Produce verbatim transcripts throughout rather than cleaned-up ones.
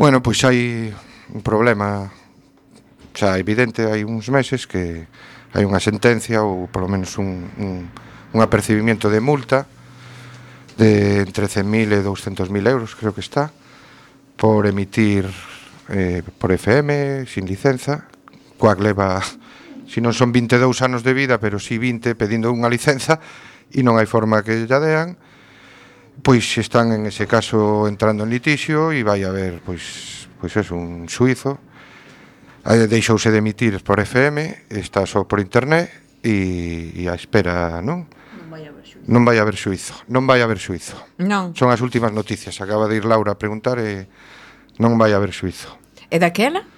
Bueno, pois hai un problema xa evidente, hai uns meses que hai unha sentencia ou polo menos un, un, un apercibimiento de multa de entre cen mil e douscentos mil euros, creo que está, por emitir eh, por F M sin licenza, coac leva, si non son vinte e dous anos de vida, pero si vinte pedindo unha licenza e non hai forma que lla dean. Pois están en ese caso entrando en litixio e vai haber, pois, pois é un suizo. Deixouse de emitir por F M, está só por internet e, e a espera, non? Non vai haber xuizo. Non vai haber xuizo, non vai haber xuizo. Non. Son as últimas noticias, acaba de ir Laura a preguntar e non vai haber xuizo. E daquela?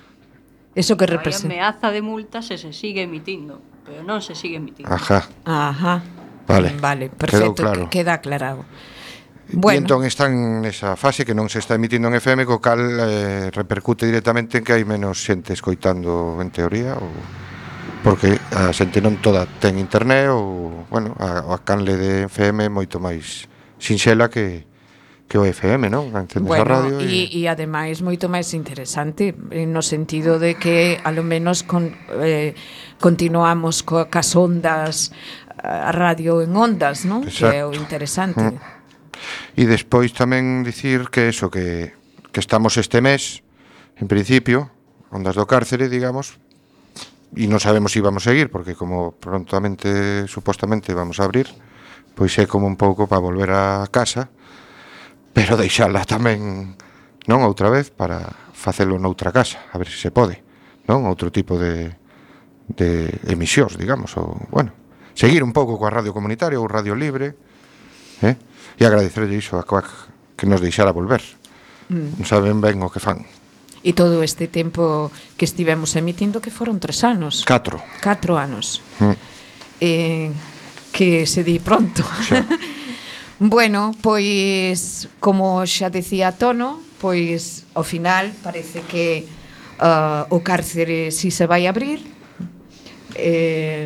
Eso que Hai representa? ameaza de multas e se sigue emitindo, pero non se sigue emitindo. Ajá. Ajá. Vale. Vale, perfecto, claro. que- queda aclarado. E Bueno, entón están nesa fase que non se está emitindo en F M, co cal eh, repercute directamente en que hai menos xente escoitando en teoría, ou porque a xente non toda ten internet, ou, bueno, a, a canle de F M é moito máis sinxela que, que o F M, non? Entendes a bueno, radio e, e ademais moito máis interesante eh, no sentido de que a lo menos con, eh, continuamos co, cas ondas, a radio en ondas, non? Que é o Exacto. interesante. Mm. E despois tamén dicir que eso, que, que estamos este mes, en principio, Ondas do Cárcere, digamos, e non sabemos se vamos a seguir, porque como prontamente, supostamente, vamos a abrir, pois é como un pouco para volver a casa, pero deixala tamén, non, outra vez, para facelo noutra casa, a ver se se pode, non, outro tipo de, de emisións, digamos, ou, bueno, seguir un pouco coa radio comunitaria ou radio libre, eh? E agradecerlle iso a Coac que nos deixara volver. Mm. Non saben ben o que fan. E todo este tempo que estivemos emitindo, que foron tres anos. Catro. Catro anos. Mm. Eh, que se di pronto. Xa. Bueno, pois, como xa decía Tono, pois, ao final, parece que uh, o cárcere si se vai abrir. Eh,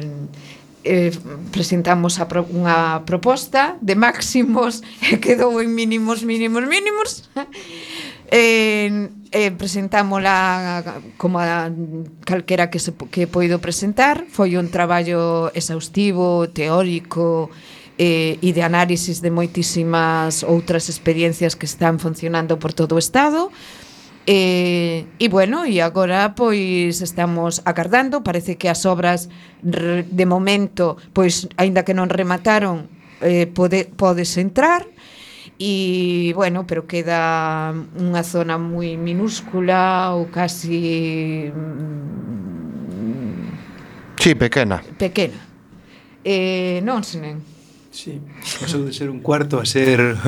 eh, presentamos a pro, unha proposta de máximos e quedou en mínimos, mínimos, mínimos. Eh, eh, presentámola como a calquera que, se, que poido presentar. Foi un traballo exhaustivo, teórico eh, e de análisis de moitísimas outras experiencias que están funcionando por todo o Estado. E, e bueno, e agora pois estamos agardando, parece que as obras re, de momento, pois aínda que non remataron, eh, pode, podes entrar. E, bueno, pero queda unha zona moi minúscula ou casi mm, Sí, pequena. pequena. Eh, non, senen. Sí, pasou de ser un cuarto a ser...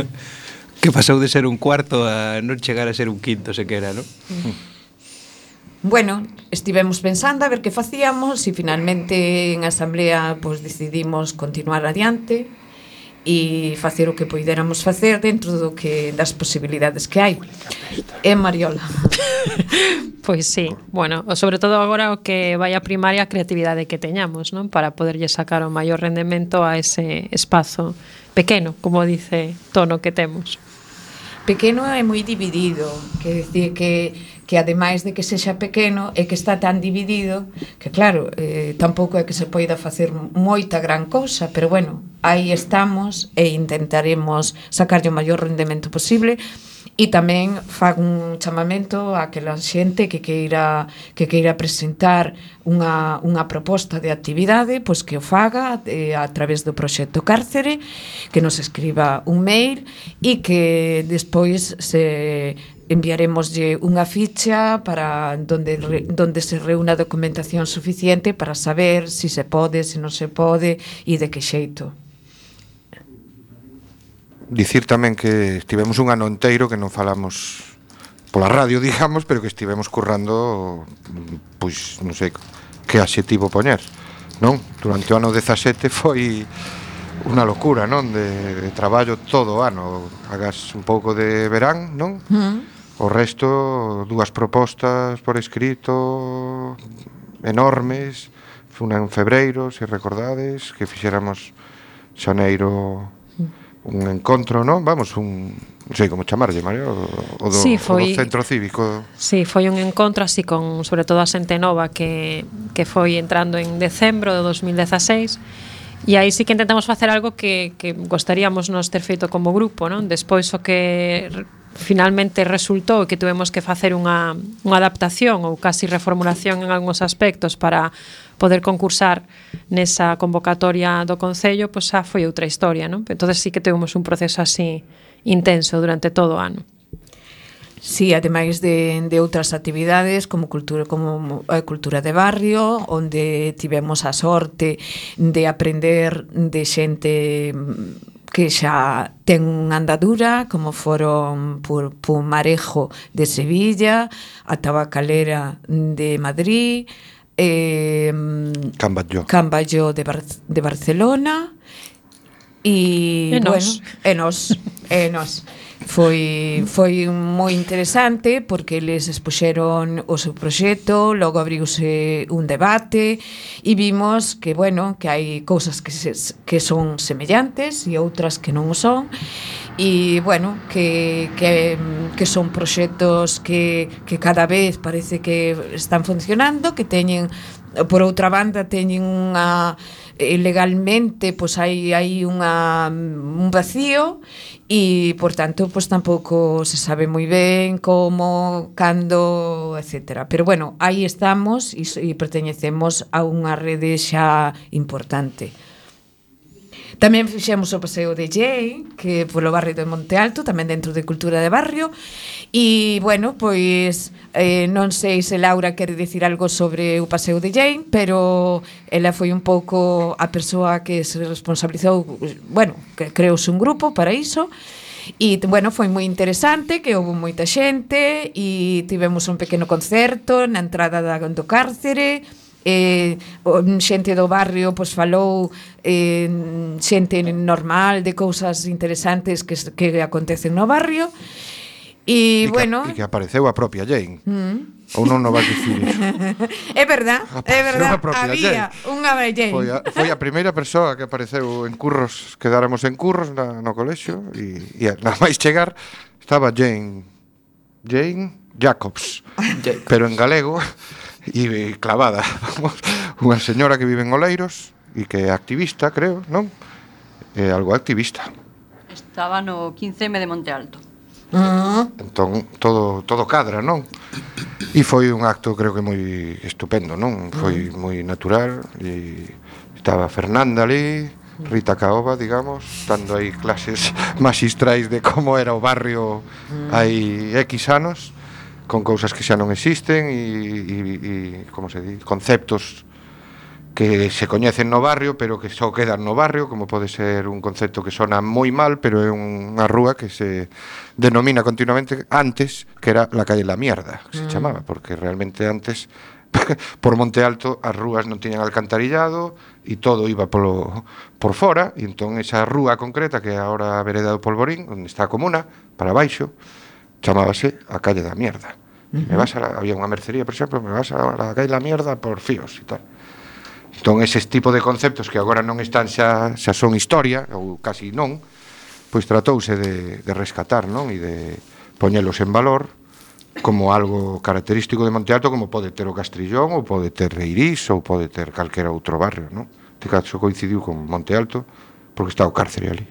Que pasou de ser un cuarto a non chegar a ser un quinto sequera, non? Bueno, estivemos pensando a ver que facíamos e finalmente en asamblea pois decidimos continuar adiante e facer o que poidéramos facer dentro do que das posibilidades que hai. E Mariola. Pois sí, bueno, sobre todo agora o que vai a primar é a creatividade que teñamos, non? Para poderlle sacar o maior rendemento a ese espazo pequeno, como dice Tono, que temos. Pequeno é moi dividido, que decir que que ademais de que sexa pequeno é que está tan dividido que claro, eh, tampouco é que se poida facer moita gran cousa, pero bueno, aí estamos e intentaremos sacarlle o maior rendemento posible. E tamén fago un chamamento a aquela xente que queira que queira presentar unha, unha proposta de actividade, pois que o faga eh, a través do proxecto Cárcere, que nos escriba un mail e que despois se enviaremoslle unha ficha para donde, donde se reúna documentación suficiente para saber se si se pode, se non se pode e de que xeito. Dicir tamén que estivemos un ano enteiro que non falamos pola radio, digamos, pero que estivemos currando, pois, non sei que adxetivo poñer, non? Durante o ano dezasete foi unha locura, non? De, de traballo todo o ano. Hagas un pouco de verán, non? Mm. O resto, dúas propostas por escrito enormes. Unha en febreiro, se recordades, que fixéramos xaneiro un encontro, non? Vamos, un, non sei como chamarlle, María, o, o, do, Sí, o foi- do centro cívico. Sí, foi un encontro así con, sobre todo a xente nova que, que foi entrando en decembro de dos mil dezaseis. E aí sí que intentamos facer algo que, que gostaríamos nos ter feito como grupo, non? Despois o que re- finalmente resultou que tuvemos que facer unha, unha adaptación ou casi reformulación en algúns aspectos para poder concursar nesa convocatoria do Concello, pois xa foi outra historia, non? Entonces sí que tuvemos un proceso así intenso durante todo o ano. Sí, ademais de, de outras actividades como cultura como a cultura de barrio, onde tivemos a sorte de aprender de xente que xa ten unha andadura, como foron por Pumarejo de Sevilla, a Tabacalera de Madrid, eh, Camballo. Camballo de, Bar de Barcelona e, E nós. bueno, e nós, e nós. Foi, foi moi interesante porque eles expuxeron o seu proxecto, logo abriuse un debate e vimos que, bueno, que hai cousas que, se, que son semellantes e outras que non o son e, bueno, que, que, que son proxectos que, que cada vez parece que están funcionando, que teñen, por outra banda, teñen unha legalmente pois hai hai unha un vacío e por tanto pois tampouco se sabe moi ben como, cando, etcétera. Pero bueno, aí estamos e, e perteñecemos a unha rede xa importante. Tamén fixemos o paseo de Jay, que polo barrio de Monte Alto, tamén dentro de Cultura de Barrio. E, bueno, pois eh, non sei se Laura quere dicir algo sobre o paseo de Jay, pero ela foi un pouco a persoa que se responsabilizou, bueno, que creouse un grupo para iso. E, bueno, foi moi interesante, que houve moita xente e tivemos un pequeno concerto na entrada da, do cárcere. Eh, xente do barrio pois falou eh, xente normal de cousas interesantes que, que acontecen no barrio e, E bueno que, e que apareceu a propia Jane. mm. Ou non non vas dicir iso? É verdad, é Apareceu verdad, a propia había Jane. unha Jane. Foi a, foi a primeira persoa que apareceu en curros, quedáramos en curros na, no colexio e, e nada máis chegar estaba Jane Jane Jacobs, pero en galego e clavada, vamos, unha señora que vive en Oleiros e que é activista, creo, non? É algo activista. Estaba no quince eme de Monte Alto. Uh-huh. Entón, todo todo cadra, non? E foi un acto, creo que moi estupendo, non? Foi moi natural e estaba Fernanda ali, Rita Caoba, digamos, dando aí clases magistrais de como era o barrio hai X anos, con cousas que xa non existen e, e, e como se di, conceptos que se coñecen no barrio pero que só quedan no barrio, como pode ser un concepto que sona moi mal pero é unha rúa que se denomina continuamente antes, que era la calle La Mierda, que se chamaba, porque realmente antes por Monte Alto as rúas non tiñan alcantarillado e todo iba polo, por fora e entón esa rúa concreta que é agora a vereda do Polvorín, onde está a comuna, para baixo, chamábase a calle da Mierda. Uh-huh. Me vas a la, había unha mercería, por exemplo, me vas a la calle La Mierda por fíos e tal. Entón, eses tipo de conceptos que agora non están xa, xa son historia, ou casi non, pois tratouse de, de rescatar, non? E de poñelos en valor como algo característico de Monte Alto, como pode ter o Castrillón, ou pode ter Reirís, ou pode ter calquera outro barrio, non? Este caso coincidiu con Monte Alto, porque está o cárcere ali.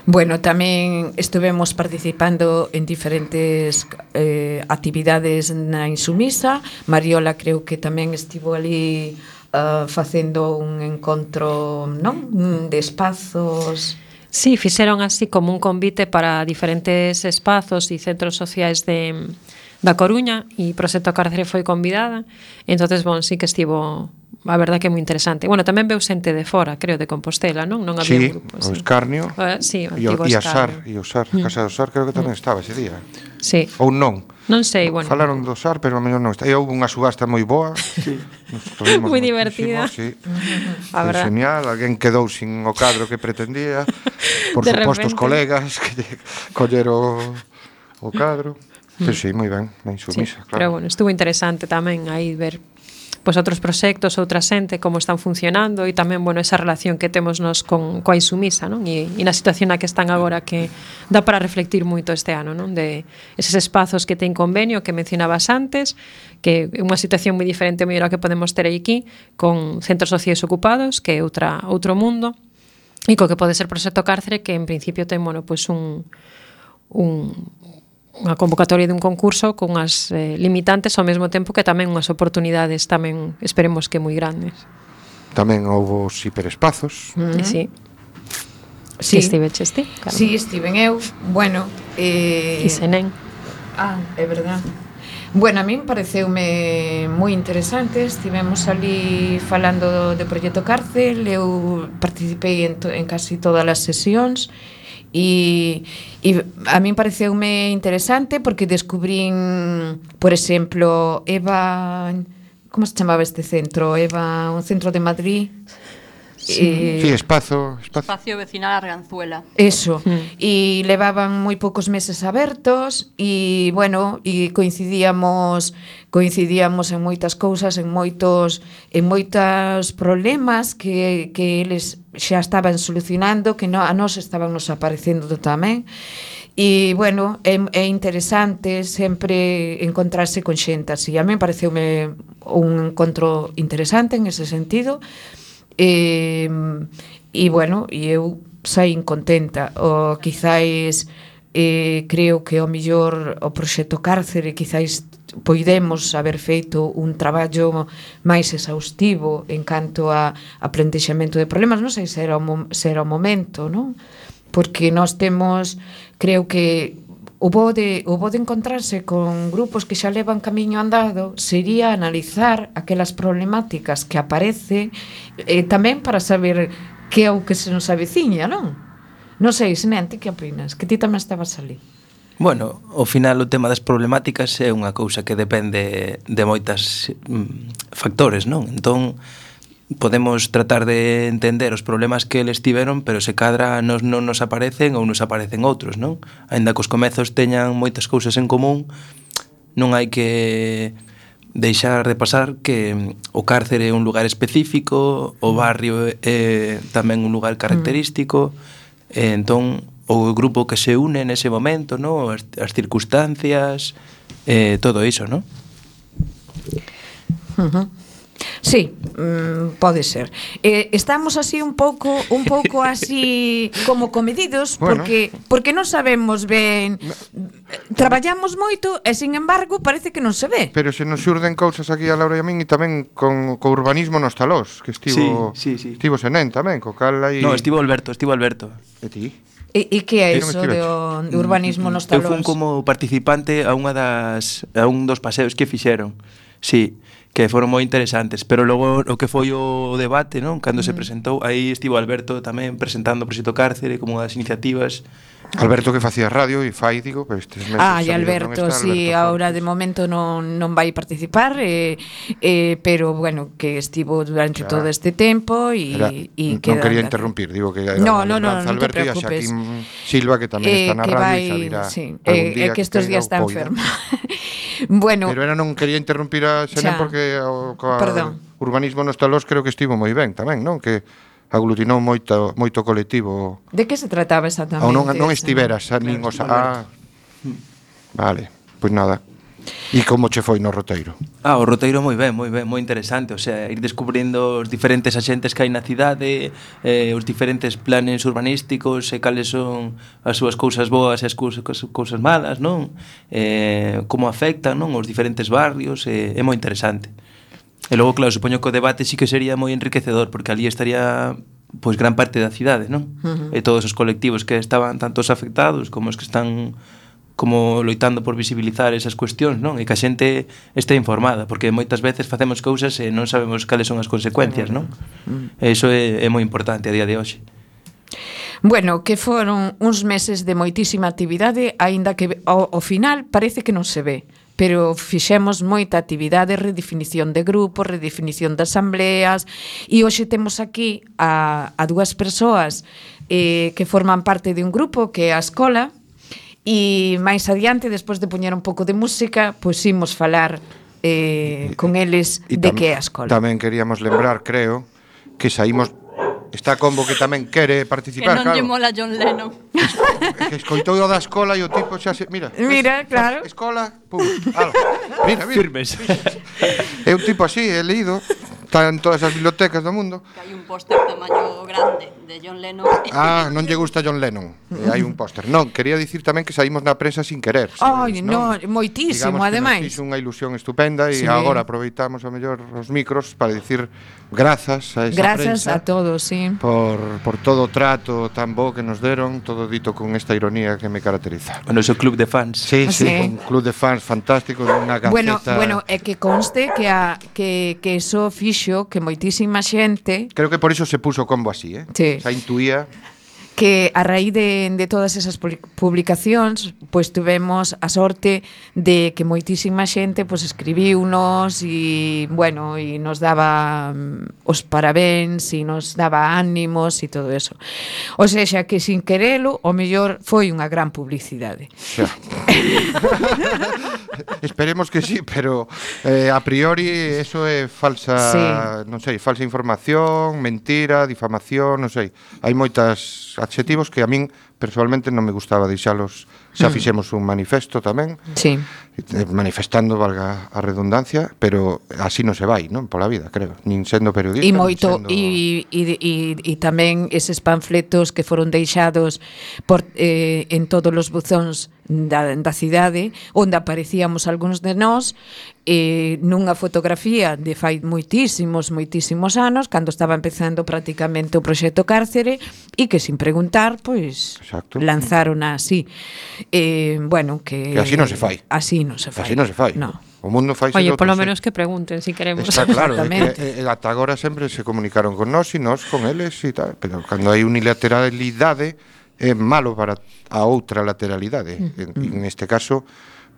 Bueno, tamén estivemos participando en diferentes eh, actividades na Insumisa. Mariola creo que tamén estivo ali uh, facendo un encontro, non? De espazos. Sí, fixeron así como un convite para diferentes espazos e centros sociais de da Coruña e Proxecto Cárcere foi convidada. Entonces, bon, sí que estivo, a verdad que é moi interesante. Bueno, tamén veu xente de fora, creo, de Compostela, non? Non había Sí, un grupo, o sí. Escarnio Uh, sí, o e o antigo e a Sar, Escarnio. e o Sar, a Casa do Sar creo que tamén estaba ese día. Sí. Ou non. Non sei, bueno. Falaron do Sar, pero a mellor non está. E houve unha subasta moi boa. Sí. Moi divertida. Sí. A Foi verdad. genial, alguén quedou sin o cadro que pretendía. Por De suposto os repente. colegas que lle collero o cadro. Pero sí, moi ben, na Sí, Insumisa, pero claro. bueno, estuvo interesante tamén aí ver pois outros proxectos, outra xente, como están funcionando e tamén, bueno, esa relación que temos nos con coa Insumisa, non? E, e na situación na que están agora que dá para reflectir moito este ano, non? De eses espazos que ten convenio que mencionabas antes, que é unha situación moi diferente mellor a que podemos ter aquí con centros sociais ocupados, que é outra outro mundo, e co que pode ser Proxecto Cárcere, que en principio ten, bueno, pois un un unha convocatoria dun concurso con unhas eh, limitantes ao mesmo tempo que tamén unhas oportunidades tamén esperemos que moi grandes. Tamén houve os hiperespazos. Uh -huh. Sí. Sí. Que estiveches ti? Sí, estiven eu. Bueno, eh... E Senén. Ah, é verdad. Bueno, a min pareceume moi interesante. Estivemos ali falando do Proxecto Cárcel. Eu participei en, to en casi todas as sesións. E, e a min pareceume interesante porque descubrín, por exemplo, Eva, como se chamaba este centro? Eva, un centro de Madrid. Sí, eh, sí espazo, espazo Espacio Vecinal Arganzuela. Eso, mm. E levaban moi poucos meses abertos e, bueno, e coincidíamos coincidíamos en moitas cousas, en moitos en moitos problemas que, que eles xa estaban solucionando, que no, a nós estaban nos aparecendo tamén. E, bueno, é, é interesante sempre encontrarse con xente así. A mí pareceume un encontro interesante en ese sentido. E, e bueno, e eu saín contenta. O quizáis eh, creo que o mellor o Proxecto Cárcere quizáis poidemos haber feito un traballo máis exhaustivo en canto a, a plantexamento de problemas. Non sei se era o, se era o momento, non? Porque nós temos, creo que o bo de, o bo de encontrarse con grupos que xa levan camiño andado sería analizar aquelas problemáticas que aparece eh, tamén para saber que é o que se nos aveciña, non? Non sei, Senén, ti que opinas? Que ti tamén estabas ali. Bueno, ao final o tema das problemáticas é unha cousa que depende de moitas mm, factores, non? Entón, podemos tratar de entender os problemas que eles tiveron, pero se cadra nos non nos aparecen ou nos aparecen outros, non? Aínda que os comezos teñan moitas cousas en común, non hai que deixar de pasar que o cárcere é un lugar específico, o barrio é tamén un lugar característico, e entón o grupo que se une nese momento, non? As, as circunstancias, eh, todo iso, non? Uh -huh. Sí, mm, pode ser. Eh, estamos así un pouco un pouco así como comedidos, bueno, porque porque non sabemos ben, traballamos moito e sin embargo parece que non se ve. Pero se nos xurden cousas aquí a Laura e a min e tamén con co urbanismo nos talós, que estivo sí, sí, sí. estivo Senén tamén, co cal aí. No, estivo Alberto, estivo Alberto. E ti? E, e que é iso de, de urbanismo nos talós? Eu fui como participante a unha das a un dos paseos que fixeron. Sí, que foron moi interesantes, pero logo o que foi o debate, non? Cando uh-huh. se presentou, aí estivo Alberto tamén presentando o Proxecto Cárcere como unha das iniciativas. Alberto que facía radio e fai, digo, pero estes meses. Ah, e Alberto, si, sí, agora de momento non, non vai participar, eh, eh, pero bueno, que estivo durante claro. todo este tempo e non quería interrumpir, digo que era no, no, no, no Alberto te e a Xaquín Silva que tamén eh, está na radio vai, e xa sí, eh, que estes días está enferma. Bueno, pero era non quería interrumpir a Senén porque o, o urbanismo nos talós creo que estivo moi ben tamén, non? Que aglutinou moito moito colectivo. De que se trataba exactamente? Ou non, non estiveras, claro, nin os ah, vale, pois nada. E como che foi no roteiro? Ah, o roteiro moi ben, moi ben, moi interesante, o sea, ir descubrindo os diferentes axentes que hai na cidade, eh, os diferentes planes urbanísticos, e cales son as súas cousas boas e as cousas, cousas malas, non? Eh, como afectan, non, os diferentes barrios, eh, é moi interesante. E logo, claro, supoño que o debate sí que sería moi enriquecedor, porque ali estaría pois gran parte da cidade, non? Uh -huh. E todos os colectivos que estaban tanto os afectados como os que están como loitando por visibilizar esas cuestións, non? E que a xente este informada, porque moitas veces facemos cousas e non sabemos cales son as consecuencias, non? E iso é, é moi importante a día de hoxe. Bueno, que foron uns meses de moitísima actividade, aínda que ao, ao final parece que non se ve, pero fixemos moita actividade, redefinición de grupos, redefinición de asambleas, e hoxe temos aquí a, a dúas persoas eh, que forman parte de un grupo que é a Escola, e máis adiante, despois de poñer un pouco de música, pois imos falar eh, con eles E de tam- que é a escola. Tamén queríamos lembrar, creo, que saímos. Está Combo que tamén quere Que participar, non lle claro. mola John Lennon. Que escoitou o da escola e o tipo xa se... Mira, Mira, ves? claro. Escola, pum, ala. Mira, mira. Firmes. É un tipo así, he leído. Está en todas as bibliotecas do mundo. Que hai un póster tamaño grande de John Lennon. Ah, non lle gusta John Lennon. E hai un póster. Non, quería dicir tamén que saímos na prensa sin querer. Ai, sabes, no, moitísimo, Digamos que ademais. nos fixo unha ilusión estupenda e Sí. agora aproveitamos a mellor os micros para dicir grazas a esa Grazas prensa a todos, sí. por, por todo o trato tan bo que nos deron, todo dito con esta ironía que me caracteriza. O noso club de fans. Sí, sí, Sí. un club de fans fantástico, unha gaceta. Bueno, bueno, é que conste que a que que eso fixo que moitísima xente Creo que por iso se puso Combo así, eh? Sí. Xa intuía. que a raíz de, de todas esas publi- publicacións pois tuvemos a sorte de que moitísima xente pois escribiunos e bueno, e nos daba mm, os parabéns e nos daba ánimos e todo eso. O sexa que sin querelo, o mellor foi unha gran publicidade. Xa. Esperemos que sí, pero eh, a priori eso é falsa, Sí. non sei, falsa información, mentira, difamación, non sei. Hai moitas adxetivos que a min personalmente non me gustaba deixalos. Xa Mm. fixemos un manifesto tamén, Sí. eh, manifestando, valga a redundancia, pero así non se vai, non? Pola vida, creo. Nin sendo periodista, E nin moito sendo... e, e, e, e tamén eses panfletos que foron deixados por, eh, en todos os buzóns da, da cidade onde aparecíamos algúns de nós eh, nunha fotografía de fai moitísimos, moitísimos anos cando estaba empezando prácticamente o proxecto Cárcere e que sin preguntar pois Exacto. lanzaron así eh, bueno, que Que así non se fai. así non se fai Así non se fai. no. O mundo fai Oye, polo menos que pregunten si queremos. Está claro, é Exactamente. que eh, ata agora sempre se comunicaron con nós e nós con eles e tal, pero cando hai unilateralidade é malo para a outra lateralidade. En, en este caso,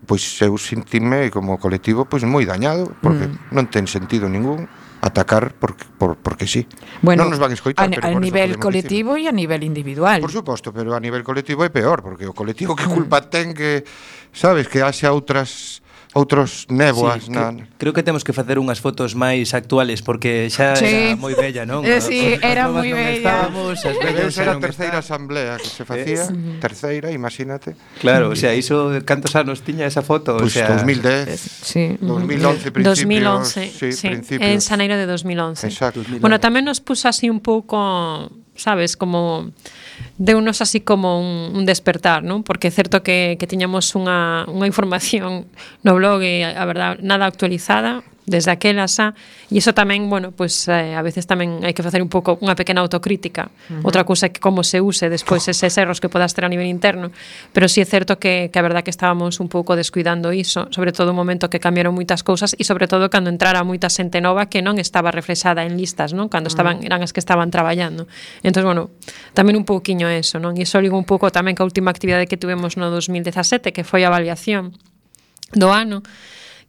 pois eu sentime como colectivo pois moi dañado, porque Mm. non ten sentido ningún atacar porque por, porque sí. Bueno, non nos van a escoitar, a, pero a por eso nivel podemos colectivo e a nivel individual. Por suposto, pero a nivel colectivo é peor, porque o colectivo que culpa ten que, sabes, que haxa outras outros néboas Sí, na... creo, creo que temos que facer unhas fotos máis actuales porque xa Sí. era moi bella, non? Eh, sí, As era novas moi non bella. estábamos, as Debe vellas ser xa a non terceira están. asamblea que se facía, terceira, imagínate. Claro, o sea, iso cantos anos tiña esa foto, Pois o sea, dos mil dez, Sí. dos mil once, principios. dos mil once, sí, sí, principios. en xaneiro de dos mil once. Exacto. Bueno, tamén nos puso así un pouco, sabes, como deunos así como un, un despertar, non? Porque é certo que, que tiñamos unha, unha información no blog e a verdad nada actualizada desde aquela xa, e iso tamén, bueno, pues eh, a veces tamén hai que facer un pouco unha pequena autocrítica. Uh -huh. Outra cousa é que como se use despois eses erros que podas ter a nivel interno, pero sí é certo que, que a verdad que estábamos un pouco descuidando iso, sobre todo un momento que cambiaron moitas cousas e sobre todo cando entrara moita xente nova que non estaba reflexada en listas, non? Cando estaban, eran as que estaban traballando. Entón, bueno, tamén un pouquiño eso, non? E iso ligo un pouco tamén ca última actividade que tuvemos no dos mil dezasete, que foi a avaliación do ano,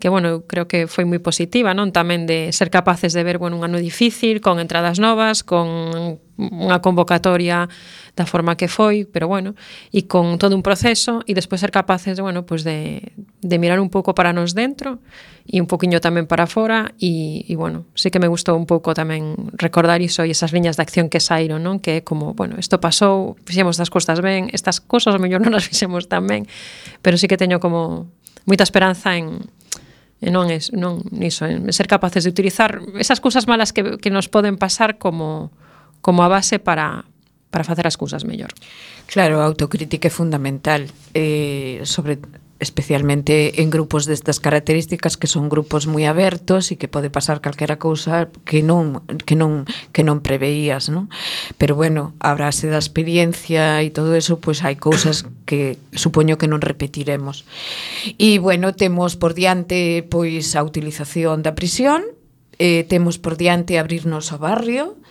que, bueno, eu creo que foi moi positiva, non? Tamén de ser capaces de ver, bueno, un ano difícil, con entradas novas, con unha convocatoria da forma que foi, pero bueno, e con todo un proceso, e despois ser capaces, bueno, pues de, de mirar un pouco para nos dentro e un poquinho tamén para fora, e, e bueno, sí que me gustou un pouco tamén recordar iso e esas liñas de acción que saíron, non? Que é como, bueno, isto pasou, fixemos das costas ben, estas cosas ao mellor non as fixemos tan ben, pero sí que teño como moita esperanza en E non é non iso, en ser capaces de utilizar esas cousas malas que, que nos poden pasar como, como a base para, para facer as cousas mellor. Claro, a autocrítica é fundamental, eh, sobre especialmente en grupos destas características que son grupos moi abertos e que pode pasar calquera cousa que non que non que non preveías, non? Pero bueno, a base da experiencia e todo eso, pois pues hai cousas que supoño que non repetiremos. E bueno, temos por diante pois a utilización da prisión, eh, temos por diante abrirnos ao barrio,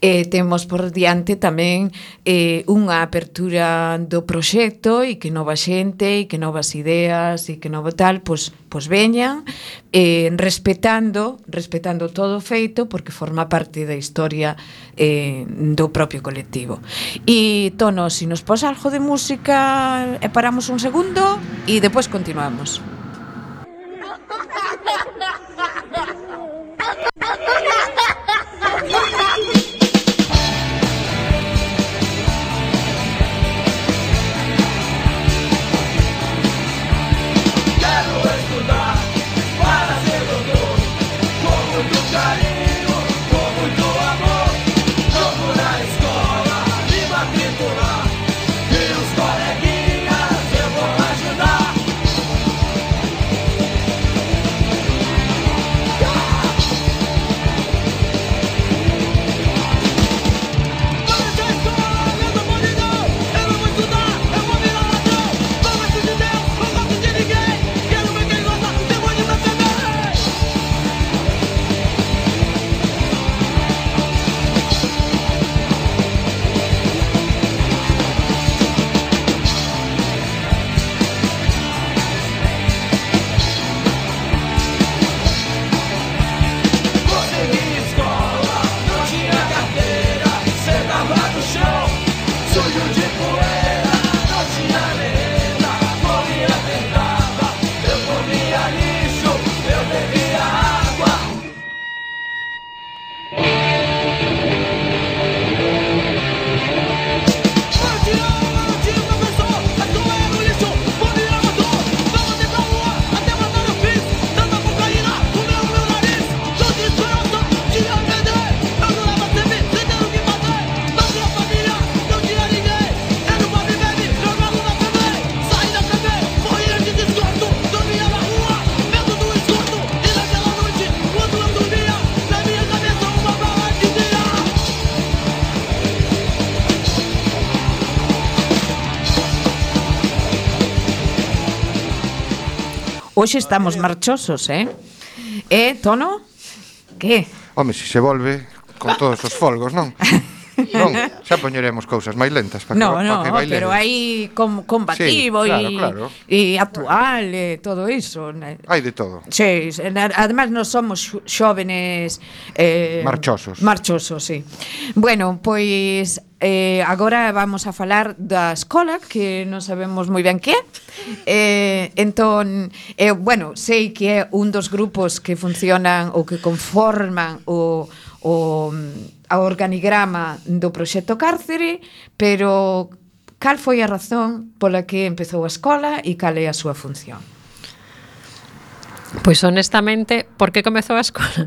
eh, temos por diante tamén eh, unha apertura do proxecto e que nova xente e que novas ideas e que novo tal, pois, pois veñan eh, respetando respetando todo o feito porque forma parte da historia eh, do propio colectivo. E Tono, se si nos pos algo de música e paramos un segundo e depois continuamos. Hoxe estamos marchosos, eh? Eh, Tono? Que? Home, se se volve con todos os folgos, non? Non, xa poñeremos cousas máis lentas para No, que, no, pa que bailedes. pero hai com, combativo Sí, e claro, claro. e actual e todo iso. né? Hai de todo. Sí, además non somos xo- xóvenes eh, Marchosos. Marchosos, sí. Bueno, pois eh, agora vamos a falar da escola, que non sabemos moi ben que é. Eh, entón, eh, bueno, sei que é un dos grupos que funcionan ou que conforman o o a organigrama do proxecto Cárcere, pero cal foi a razón pola que empezou a escola e cal é a súa función? Pois honestamente, por que comezou a escola?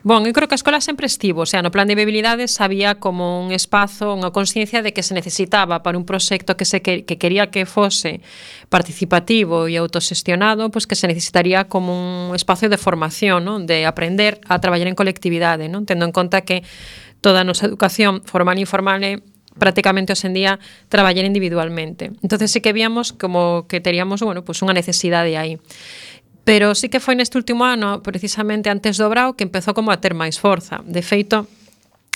Bon, eu creo que a escola sempre estivo, o sea, no plan de viabilidades había como un espazo, unha consciencia de que se necesitaba para un proxecto que se que, que quería que fose participativo e autosestionado, pois que se necesitaría como un espazo de formación, non? De aprender a traballar en colectividade, non? Tendo en conta que toda a nosa educación formal e informal é prácticamente hoxe en día traballar individualmente. Entonces sí que víamos como que teríamos, bueno, pues unha necesidade aí. Pero sí que foi neste último ano, precisamente antes do Brao, que empezou como a ter máis forza. De feito,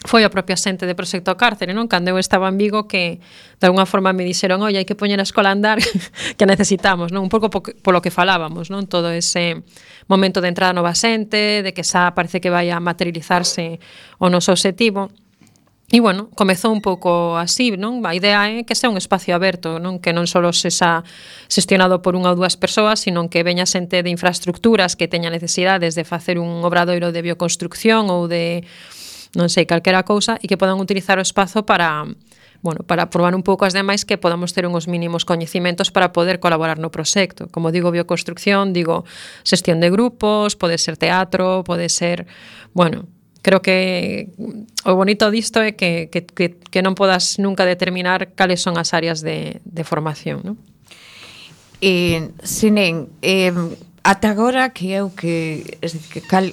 foi a propia xente de Proxecto Cárcere, non? Cando eu estaba en Vigo, que de alguna forma me dixeron, oi, hai que poñer a escola a andar, que necesitamos, non? Un pouco polo que falábamos, non? Todo ese momento de entrada nova xente, de que xa parece que vai a materializarse o noso obxectivo. E, bueno, comezou un pouco así, non? A idea é que sea un espacio aberto, non? Que non só sexa xestionado por unha ou dúas persoas, sino que veña xente de infraestructuras que teña necesidades de facer un obradoiro de bioconstrucción ou de, non sei, calquera cousa, e que podan utilizar o espazo para, bueno, para probar un pouco as demais, que podamos ter uns mínimos coñecimentos para poder colaborar no proxecto. Como digo, bioconstrucción, digo, xestión de grupos, pode ser teatro, pode ser, bueno, creo que o bonito disto é que, que, que, que non podas nunca determinar cales son as áreas de, de formación, non? Eh, Sinén, eh, ata agora que é o que, es decir, que cal,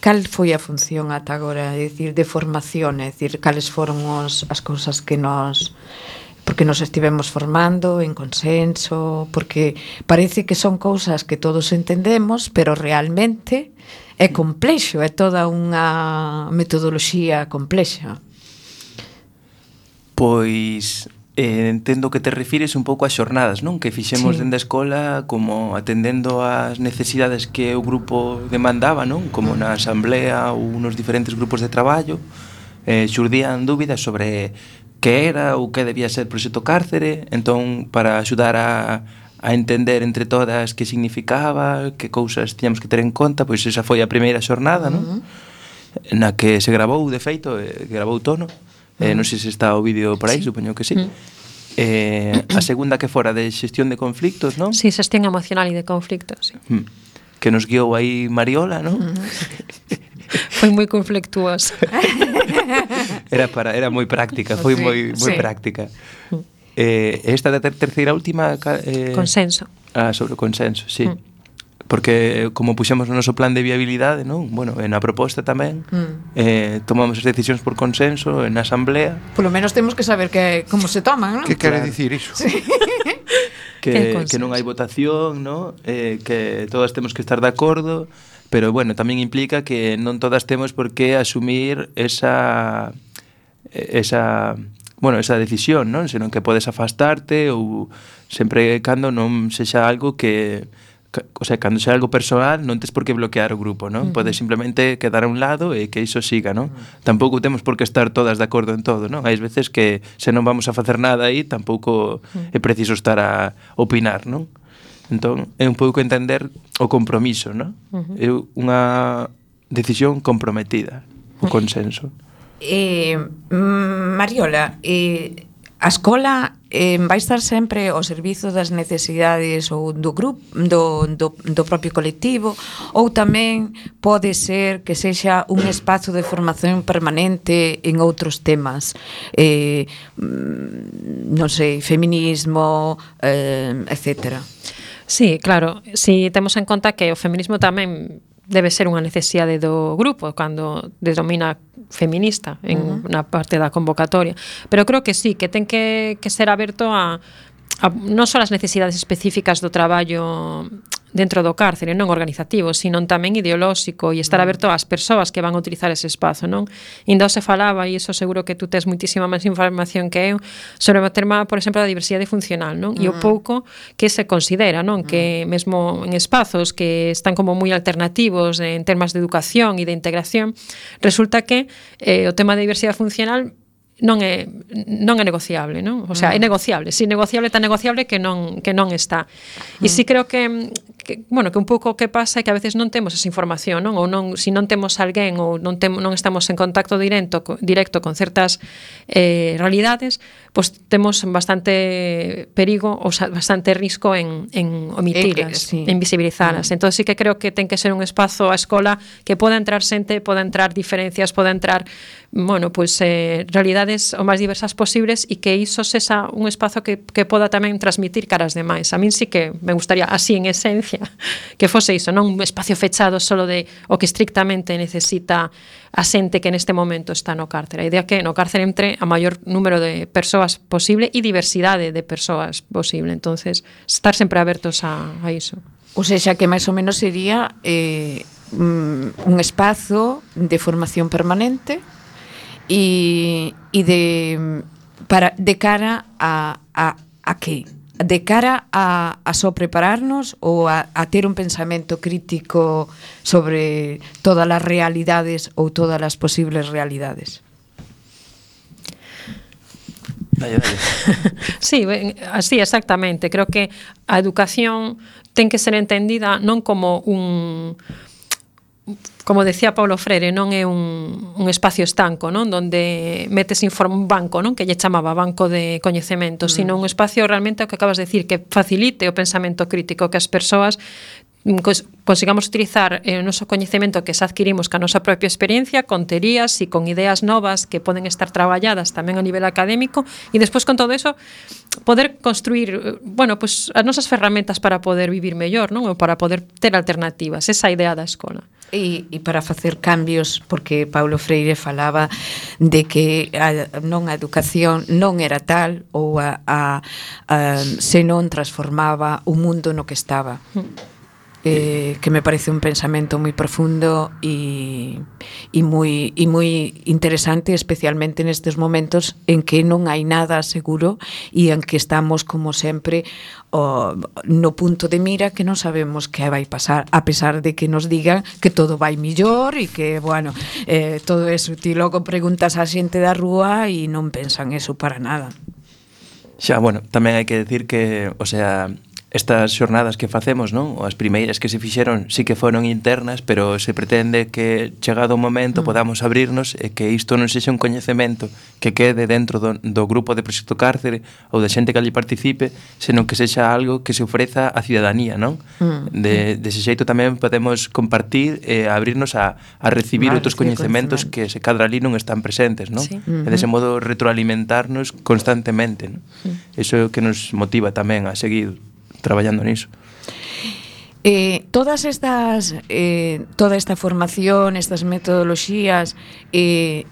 cal foi a función ata agora, é dicir, de formación, é dicir, cales foron os, as cousas que nos, porque nos estivemos formando en consenso, porque parece que son cousas que todos entendemos, pero realmente é complexo, é toda unha metodoloxía complexa. Pois eh, entendo que te refires un pouco ás xornadas, non? Que fixemos Sí. dende a escola como atendendo ás necesidades que o grupo demandaba, non? Como na asamblea ou nos diferentes grupos de traballo, eh, xurdían dúbidas sobre que era ou que debía ser Proxecto Cárcere, entón para axudar a a entender entre todas que significaba, que cousas tiñamos que ter en conta, pois esa foi a primeira xornada, non? Uh-huh. Na que se grabou, de feito, eh, grabou Tono, eh, non sei se está o vídeo por aí, sí. Supoño que sí. Uh-huh. Eh, a segunda que fora de xestión de conflictos, non? Sí, xestión emocional e de conflictos, sí. Uh-huh. Que nos guiou aí Mariola, non? Uh-huh. Foi moi conflictuoso. Era para era moi práctica, foi sí, moi moi sí. práctica. Uh-huh. Eh, esta da ter terceira última eh, consenso. Ah, sobre o consenso, sí. Mm. Porque como puxemos no noso plan de viabilidade, non? Bueno, na proposta tamén, mm. eh, tomamos as decisións por consenso na asamblea. Polo menos temos que saber que como se toman, non? Que quere claro. dicir iso? Sí. que, que non hai votación, non? Eh, que todas temos que estar de acordo, pero bueno, tamén implica que non todas temos por que asumir esa esa bueno, esa decisión, non? Senón que podes afastarte ou sempre cando non sexa algo que, o sea, cando sexa algo personal non tes por que bloquear o grupo, non? Uh-huh. Podes simplemente quedar a un lado e que iso siga, non? Uh-huh. Tampouco temos por que estar todas de acordo en todo, non? Hai veces que se non vamos a facer nada aí tampouco uh-huh. é preciso estar a opinar, non? Entón, é un pouco entender o compromiso, non? Uh-huh. É unha decisión comprometida, o consenso. Eh, Mariola, eh, a escola eh, vai estar sempre ao servizo das necesidades ou do grupo do, do, do propio colectivo, ou tamén pode ser que sexa un espazo de formación permanente en outros temas, eh, non sei, feminismo, eh, etcétera. Sí, claro, si temos en conta que o feminismo tamén debe ser unha necesidade do grupo cando denomina feminista en uh-huh. na parte da convocatoria, pero creo que sí, que ten que, que ser aberto a, a non só as necesidades específicas do traballo dentro do cárcere, non organizativo, sino tamén ideolóxico e estar aberto ás persoas que van a utilizar ese espazo, non? Ainda se falaba, e iso seguro que tú tes muitísima máis información que eu, sobre o tema, por exemplo, da diversidade funcional, non? E o pouco que se considera, non? Que mesmo en espazos que están como moi alternativos en temas de educación e de integración, resulta que eh, o tema da diversidade funcional non é non é negociable, non? O sea, é negociable, si negociable tan negociable que non que non está. E si creo que que bueno, que un pouco que pasa é que a veces non temos esa información, non? Ou non, si non temos alguén ou non temos non estamos en contacto directo directo con certas eh realidades, pois pues temos bastante perigo ou bastante risco en en omitilas, eh, eh, sí. en visibilizalas. Mm. Entonces sí que creo que ten que ser un espazo a escola que poda entrar xente, poda entrar diferencias, poda entrar, bueno, pois pues, eh realidades o máis diversas posibles e que iso sexa un espazo que, que poda tamén transmitir caras demais. A min sí que me gustaría, así en esencia, que fose iso, non un espacio fechado solo de o que estrictamente necesita a xente que neste momento está no cárcere. A idea que no cárcere entre a maior número de persoas posible e diversidade de persoas posible. Entonces, estar sempre abertos a, a iso. Ou seja, que máis ou menos sería eh, un espazo de formación permanente e, e de para de cara a, a, a que? De cara a, a só prepararnos ou a, a ter un pensamento crítico sobre todas as realidades ou todas as posibles realidades. Dale, dale. Sí, así exactamente. Creo que a educación ten que ser entendida non como un, como decía Paulo Freire, non é un, un espacio estanco, non? Donde metes inform, un banco, non? Que lle chamaba banco de coñecemento, mm. sino un espacio realmente o que acabas de decir, que facilite o pensamento crítico, que as persoas consigamos utilizar o noso coñecemento que se adquirimos ca nosa propia experiencia, con teorías e con ideas novas que poden estar traballadas tamén a nivel académico, e despois con todo eso poder construir, bueno, pues as nosas ferramentas para poder vivir mellor, non? Ou para poder ter alternativas, esa idea da escola. E, e para facer cambios, porque Paulo Freire falaba de que a, non a educación non era tal ou a, a, a, se non transformaba o mundo no que estaba. Mm. Eh, que me parece un pensamento moi profundo e, e moi e moi interesante, especialmente nestes momentos en que non hai nada seguro e en que estamos, como sempre, o, no punto de mira que non sabemos que vai pasar, a pesar de que nos digan que todo vai millor e que, bueno, eh, todo eso. Ti logo preguntas á xente da rúa e non pensan eso para nada. Xa, bueno, tamén hai que decir que, o sea, estas xornadas que facemos, non? As primeiras que se fixeron sí que foron internas, pero se pretende que chegado o momento mm. podamos abrirnos e que isto non sexa un coñecemento que quede dentro do, do grupo de Proxecto Cárcere ou da xente que ali participe, senón que sexa algo que se ofreza á cidadanía, non? Mm. De, dese xeito tamén podemos compartir e abrirnos a, a recibir vale, outros coñecementos que se cadra ali non están presentes, non? Sí. E dese modo retroalimentarnos constantemente, non? Mm. Iso é o que nos motiva tamén a seguir traballando niso. Eh, todas estas eh, toda esta formación, estas metodoloxías, eh,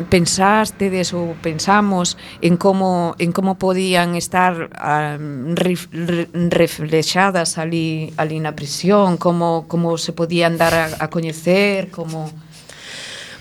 pensástedes ou pensamos en como en como podían estar um, ref, re, reflexadas ali ali na prisión, como como se podían dar a, a coñecer, como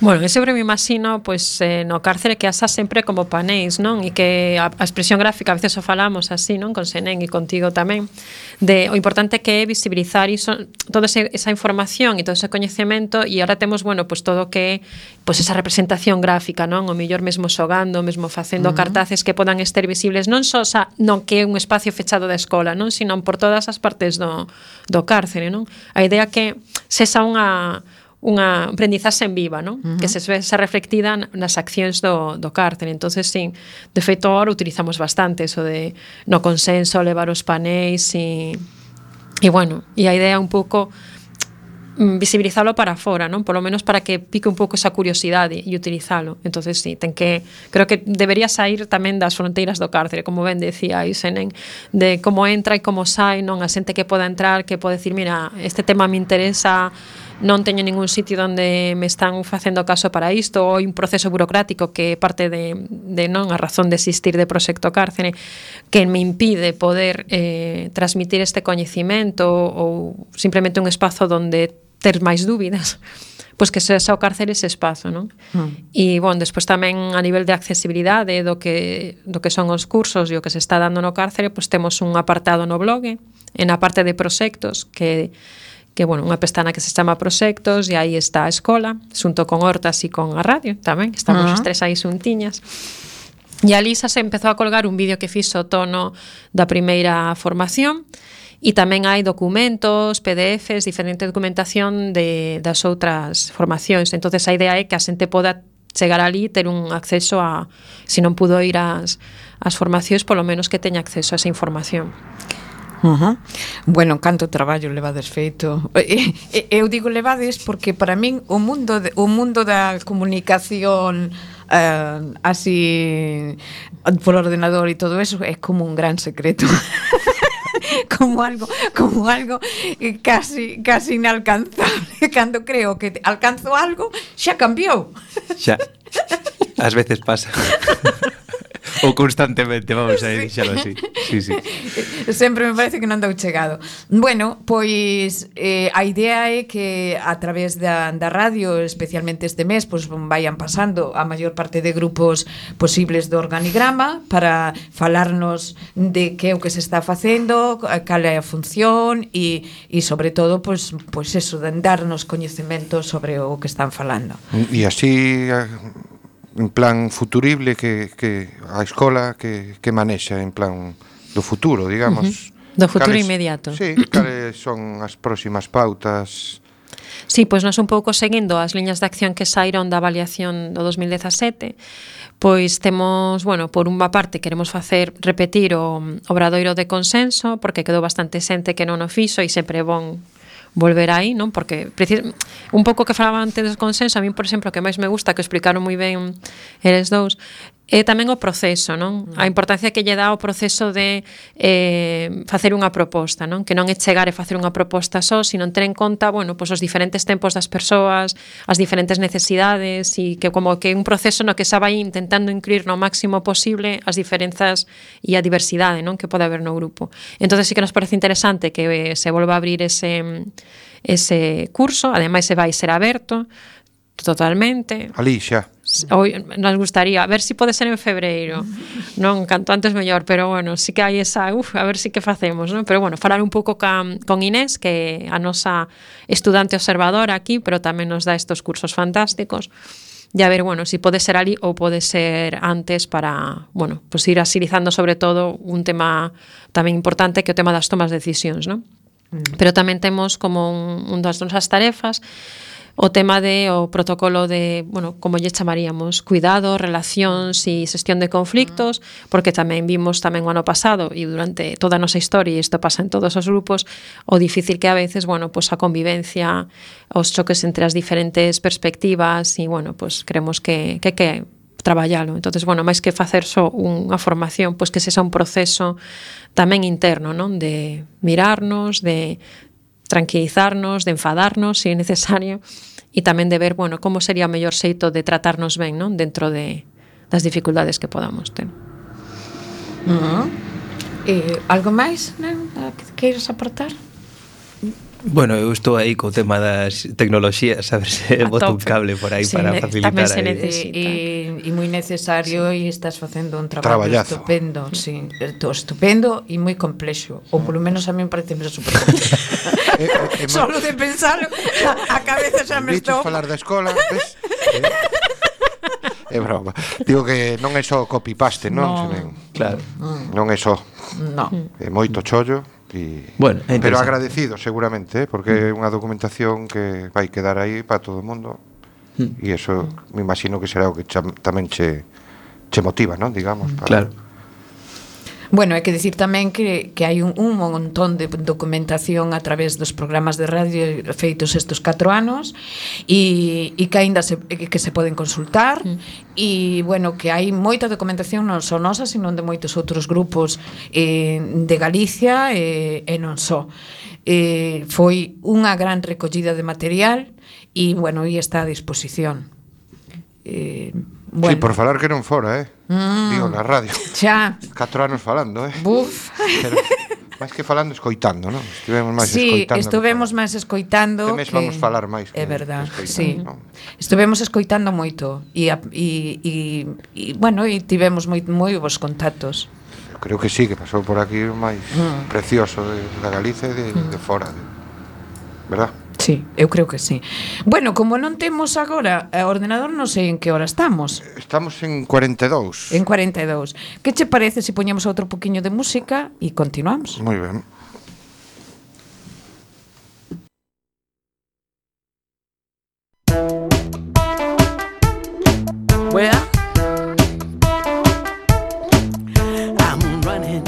Bueno, eu sempre me imagino pois, eh, no cárcere que asa sempre como panéis, non? E que a, a expresión gráfica, a veces o falamos así, non? Con Senén e contigo tamén, de o importante que é visibilizar iso, toda ese, esa información e todo ese coñecemento, e ahora temos, bueno, pois todo o que pois esa representación gráfica, non? O mellor mesmo xogando, mesmo facendo uh -huh. cartaces que podan estar visibles non só xa, non que é un espacio fechado da escola, non? Sino por todas as partes do, do cárcere, non? A idea que sexa unha unha aprendizaxe en viva, non? Uh -huh. Que se vexa reflectida nas accións do, do cárcere. Entonces, sí, de feito, ahora utilizamos bastante eso de no consenso, levar os panéis e, e bueno, e a idea un pouco visibilizalo para fora, non? Polo menos para que pique un pouco esa curiosidade e utilizalo. Entonces, sí, ten que creo que debería sair tamén das fronteiras do cárcere, como ben decía aí Senen, de como entra e como sai, non? A xente que poda entrar, que pode decir, mira, este tema me interesa, non teño ningún sitio onde me están facendo caso para isto, ou un proceso burocrático que parte de, de non a razón de existir de Proxecto Cárcere que me impide poder eh, transmitir este coñecimento ou simplemente un espazo onde ter máis dúbidas, pois que sexa o cárcere ese espazo, non? Mm. E, bon, despois tamén a nivel de accesibilidade do que, do que son os cursos e o que se está dando no cárcere, pois temos un apartado no blog, en a parte de proxectos, que que, bueno, unha pestana que se chama Proxectos, e aí está a escola, xunto con Hortas e con a radio tamén, estamos uh-huh. os tres aí xuntiñas. E a Lisa se empezou a colgar un vídeo que fixo o tono da primeira formación, e tamén hai documentos, P D Fs, diferente documentación de, das outras formacións. Entonces a idea é que a xente poda chegar ali e ter un acceso a, se non pudo ir ás, ás formacións, polo menos que teña acceso a esa información. Uh-huh. Bueno, canto traballo levades feito. Eu digo levades porque para min o mundo de, o mundo da comunicación eh, así por ordenador e todo eso é como un gran secreto. como algo como algo casi casi inalcanzable. Cando creo que alcanzo algo, xa cambiou. Xa. Ás veces pasa. Ou constantemente, vamos a dixalo así. Sí, sí. Sempre me parece que non dou chegado. Bueno, pois eh, a idea é que a través da, da radio, especialmente este mes, pois vayan pasando a maior parte de grupos posibles do organigrama para falarnos de que é o que se está facendo, cal é a función e, e sobre todo, pois, pois eso, de darnos coñecemento sobre o que están falando. E así... en plan futurible que, que a escola que, que manexa en plan do futuro, digamos. Uh-huh. Do futuro cales, inmediato. Sí, cales son as próximas pautas? Sí, pois nós un pouco seguindo as liñas de acción que saíron da avaliación do dos mil dezasete, pois temos, bueno, por unha parte queremos facer repetir o obradoiro de consenso, porque quedou bastante xente que non o fixo e sempre é bon volver aí, non? Porque un pouco que falaba antes do consenso, a mí, por exemplo, que máis me gusta, que explicaron moi ben eles dous, é tamén o proceso, non? A importancia que lle dá o proceso de eh, facer unha proposta, non? Que non é chegar e facer unha proposta só, sino ter en conta, bueno, pues os diferentes tempos das persoas, as diferentes necesidades, e que como que un proceso no que xa vai intentando incluir no máximo posible as diferenzas e a diversidade, non? Que pode haber no grupo. Entonces sí que nos parece interesante que se volva a abrir ese, ese curso, ademais se vai ser aberto totalmente. Ali xa. Hoy nos gustaría, a ver si pode ser en febreiro, non, canto antes mellor, pero bueno, sí que hai esa, uf, a ver si que facemos, non? Pero bueno, falar un pouco ca, con Inés, que a nosa estudante observadora aquí, pero tamén nos dá estos cursos fantásticos, e a ver, bueno, si pode ser ali ou pode ser antes para, bueno, pues ir asilizando sobre todo un tema tamén importante que é o tema das tomas de decisións, non? Mm. Pero tamén temos como un, un das nosas tarefas o tema de o protocolo de, bueno, como lle chamaríamos, cuidado, relacións e xestión de conflictos, porque tamén vimos tamén o ano pasado e durante toda a nosa historia, e isto pasa en todos os grupos, o difícil que a veces, bueno, pues a convivencia, os choques entre as diferentes perspectivas e, bueno, pues creemos que que que traballalo. Entonces, bueno, máis que facer só unha formación, pues que sexa un proceso tamén interno, non? De mirarnos, de tranquilizarnos, de enfadarnos se é necesario, e tamén de ver, bueno, como sería o mellor xeito de tratarnos ben, non? Dentro de das dificultades que podamos ter. Uh-huh. Eh, algo máis, non? Que queiras aportar? Bueno, eu estou aí co tema das tecnoloxías, a ver se boto un cable por aí sí, para facilitar. Tamén se necesita. E, e moi necesario, sí. E estás facendo un traballo Traballazo. estupendo, sí, estupendo e moi complexo, ou polo menos a mí me parece super complexo. eh, eh, Solo de pensarlo, a, a cabeza xa me estou. falar da escola, ves? É broma. Digo que non é só copy-paste, non? No. Claro. Non é só. No. É moito chollo. Y, bueno, pero agradecido seguramente, ¿eh? Porque é unha documentación que vai quedar aí para todo o mundo mm. e eso me imagino que será o que cha, tamén che, che motiva, ¿no? Digamos, para... Claro. Bueno, hai que dicir tamén que, que hai un, un montón de documentación a través dos programas de radio feitos estes catro anos e, e que aínda se, que se poden consultar e, mm. bueno, que hai moita documentación non só nosa, sino de moitos outros grupos eh, de Galicia e, e non só. Eh, foi unha gran recollida de material e, bueno, e está a disposición. Eh, bueno. Sí, por falar que non fora, eh? Mm. Digo, na radio. Xa. Catro anos falando, eh? Buf. Pero, máis que falando, escoitando, non? Estivemos máis sí, escoitando. Sí, estivemos máis escoitando. Este mes que... vamos falar máis que é verdad, sí. ¿no? Estivemos escoitando moito e, e, e, e bueno, e tivemos moi, moi bons contactos. Eu creo que sí, que pasou por aquí o máis mm. precioso de, da Galicia e de, mm. de fora, de, verdad? Sí, eu creo que sí. Bueno, como non temos agora o ordenador, non sei en que hora estamos. Estamos en cuarenta e dous. En cuarenta e dous. Que che parece se poñemos outro poquinho de música e continuamos? Moi ben. Well, I'm running.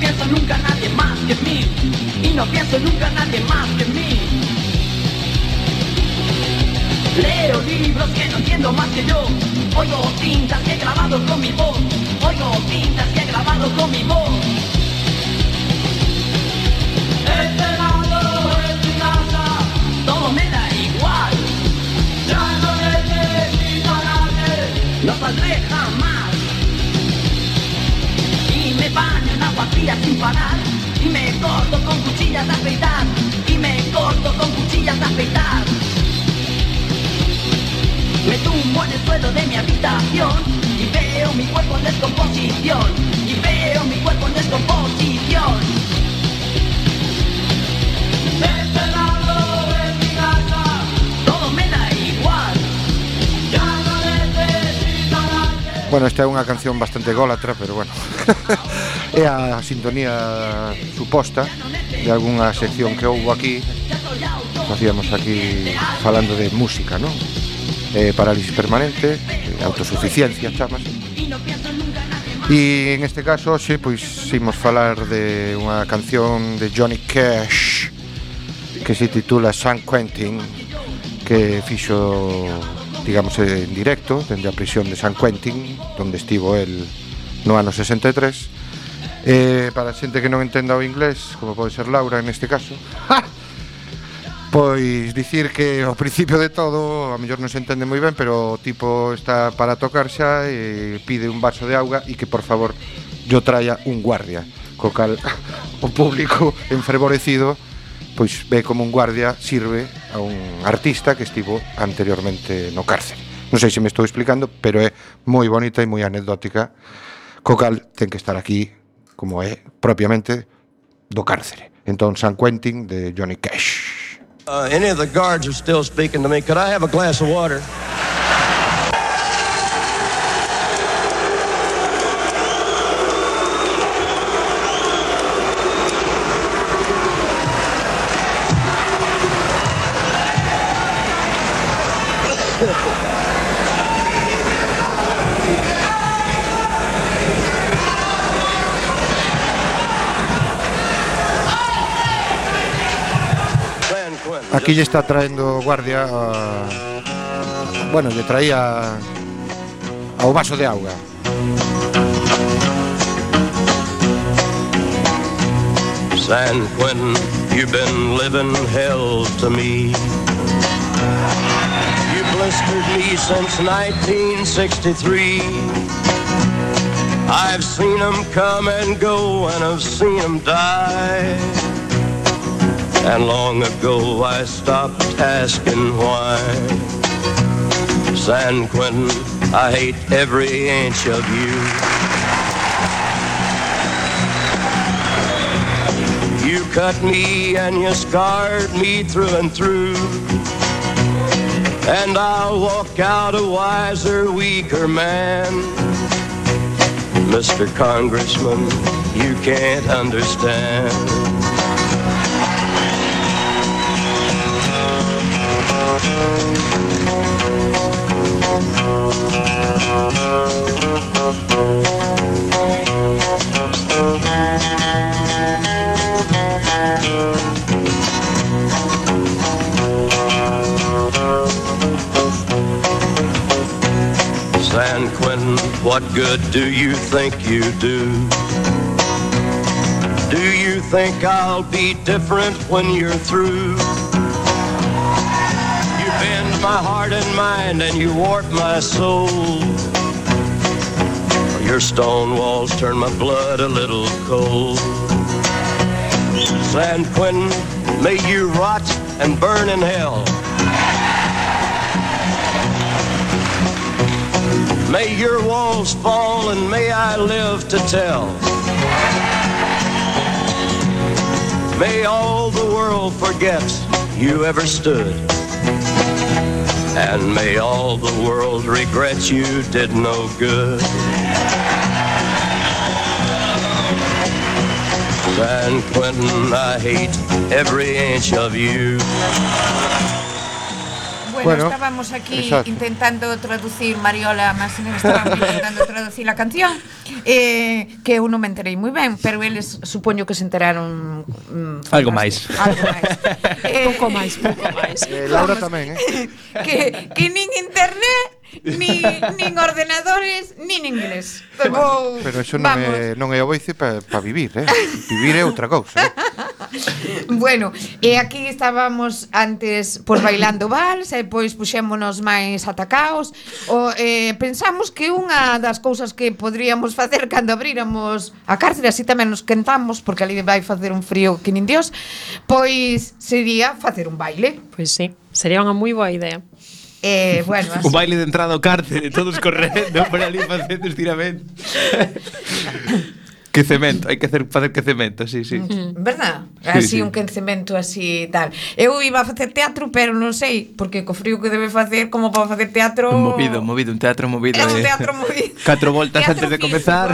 pienso nunca en nadie más que en mí. Y no pienso nunca en nadie más que en mí. Leo libros que no entiendo más que yo. Oigo cintas que he grabado con mi voz. Oigo cintas que he grabado con mi voz. Este lado es mi casa, todo me da igual. Ya no necesito a nadie, no saldré jamás. Y me baño en agua fría sin parar. Y me corto con cuchillas de afeitar. Y me corto con cuchillas de afeitar. Me tumbo en el suelo de mi habitación y veo mi cuerpo en descomposición. Y veo mi cuerpo en descomposición. De este lado de mi casa, todo me da igual. Ya no necesito a nadie. Bueno, esta é unha canción bastante gólatra, pero bueno. É a sintonía suposta de algunha sección que houbo aquí. Facíamos aquí falando de música, non? Eh, parálisis permanente, eh, autosuficiencia, chamas. E en este caso, xe, pois, imos falar de unha canción de Johnny Cash que se titula San Quentin, que fixo, digamos, en directo dende a prisión de San Quentin, onde estivo el no ano sesenta e tres. Eh, para a xente que non entenda o inglés, como pode ser Laura en este caso, pois dicir que ao principio de todo a mellor non se entende moi ben, pero o tipo está para tocar xa e pide un vaso de auga e que por favor yo traia un guardia, co cal o público enfervorecido pois ve como un guardia sirve a un artista que estivo anteriormente no cárcere. Non sei se me estou explicando, pero é moi bonita e moi anecdótica, co cal ten que estar aquí como é propiamente do cárcere. Entón, San Quentin de Johnny Cash. Uh, any of the guards are still speaking to me. Could I have a glass of water? Aquí lle está traendo guardia a... Bueno, lle traía ao vaso de auga. San Quentin, you've been living hell to me. You blistered me since nineteen sixty-three. I've seen them come and go and I've seen them die. And long ago I stopped asking why. San Quentin, I hate every inch of you. You cut me and you scarred me through and through. And I'll walk out a wiser, weaker man. Mister Congressman, you can't understand. San Quentin, what good do you think you do? Do you think I'll be different when you're through? You bend my heart and mind and you warp my soul. Your stone walls turn my blood a little cold. San Quentin, may you rot and burn in hell. May your walls fall and may I live to tell. May all the world forget you ever stood. And may all the world regret you did no good. San Quentin, I hate every inch of you. Bueno, Bueno, estábamos aquí exacto. intentando traducir, Mariola Masinen estábamos intentando traducir la canción, eh, que eu non me enterei moi ben, pero eles supoño que se enteraron mm, Algo máis. algo máis. eh, Pouco máis, pouco máis. Eh, Laura tamén, eh? que, que nin internet, ni, nin ordenadores, nin inglés. Pero, Pero eso non é, non é o boice para pa vivir, eh? Vivir é outra cousa, eh? Bueno, e aquí estábamos antes pois bailando vals e pois puxémonos máis atacaos. O, eh, pensamos que unha das cousas que podríamos facer cando abríramos a cárcere, así tamén nos quentamos, porque ali vai facer un frío que nin Dios, pois sería facer un baile. Pois sí, sería unha moi boa idea. Eh, bueno, así. Un baile de entrada ao cárcere, todos correndo por ali facendo estiramento. Que cemento, hai que hacer facer que cemento, sí, sí. ¿Verdad? Sí, Así sí. un quencemento así tal. Eu iba a facer teatro, pero non sei, porque co frío que debe facer como para facer teatro. Movido, movido, un teatro movido. É un eh. teatro movido. Catro voltas Teatro antes de físico. comezar.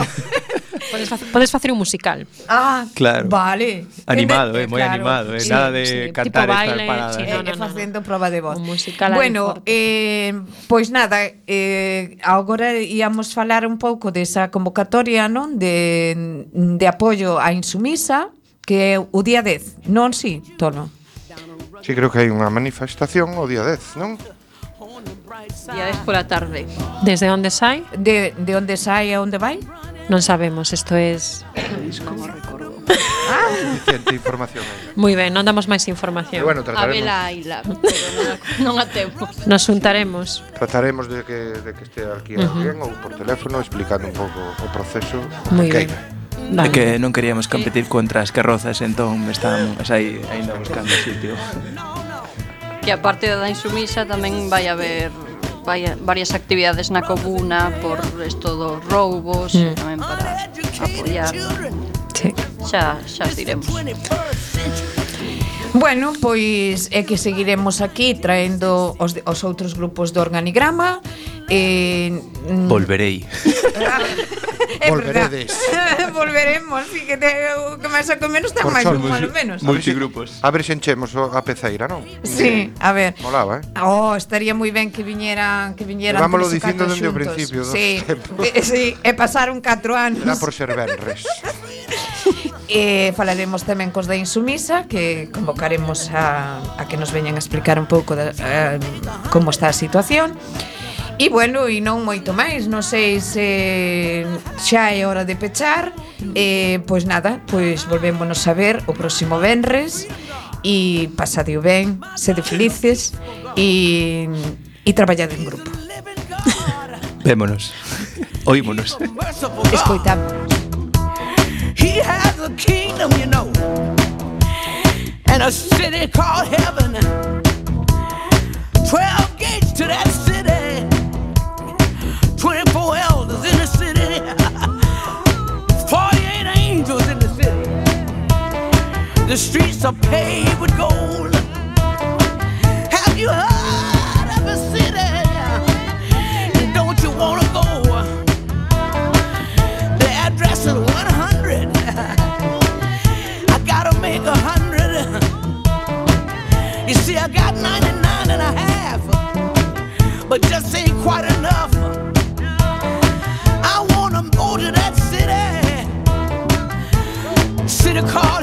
Podes facer, podes facer un musical. Ah, Claro. vale. Animado, eh, moi Claro. animado, eh. Sí, Nada de sí, cantar tipo e baile, estar parada. sí, eh. no, E no, facendo proba de voz. Un musical ali Bueno, forte. eh, pois nada, eh, agora íamos falar un pouco desa convocatoria, non, de, de apoio á insumisa, que é o día dez, non si, Tono? Sí, creo que hai unha manifestación o día dez, non? Día dez pola tarde. Desde onde sai? De, de onde sai e onde vai? Non sabemos, isto es Como recordo. Suficiente información aí. moi ben, non damos máis E información. bueno, A trataremos, vela aila, pero non a, non a tempo. Nos juntaremos. trataremos de que, de que este aquí Ujú. alguén ou por teléfono explicando un pouco o proceso. Moi que ben. hai. Vale. É que non queríamos competir contra as carrozas, entón estábamos aí aínda buscando sitio. Que aparte da insumisa tamén vai haber vai a- varias actividades na comuna por esto dos roubos, Mm. tamén para apoiar. Sí. Xa, xa os diremos. Bueno, pois é que seguiremos aquí traendo os, de- os outros grupos do organigrama. Eh, mm, Volverei. é verdad. Volveredes. Volveremos, sí, que, te, que máis ou menos ten Por máis sol, un malo menos. Multigrupos. A ver se enchemos o- a peceira, non? Sí, a ver. Molaba, eh? Oh, estaría moi ben que viñeran, que viñeran Levámolo tres ou dicindo catro dende o xuntos. principio dos Sí, tempos. eh, sí, e pasaron catro anos. Será por ser venres. E falaremos tamén cos da Insumisa, que convocaremos a, a que nos veñan a explicar un pouco da, eh, como está a situación. E bueno, e non moito máis, non sei se xa é hora de pechar. E pois nada, pois volvémonos a ver o próximo venres. E pasadeo ben, sede felices e, e traballade en grupo. Vémonos. Oímonos. Escoitamos. He has a kingdom, you know, and a city called heaven. Twelve gates to that city, twenty-four elders in the city, forty-eight angels in the city. The streets are paved with gold. Have you heard of a city? Don't you wanna go? The address is one hundred. I gotta make a hundred. You see, I got ninety-nine and a half, but just ain't quite enough. I wanna go to that city, city called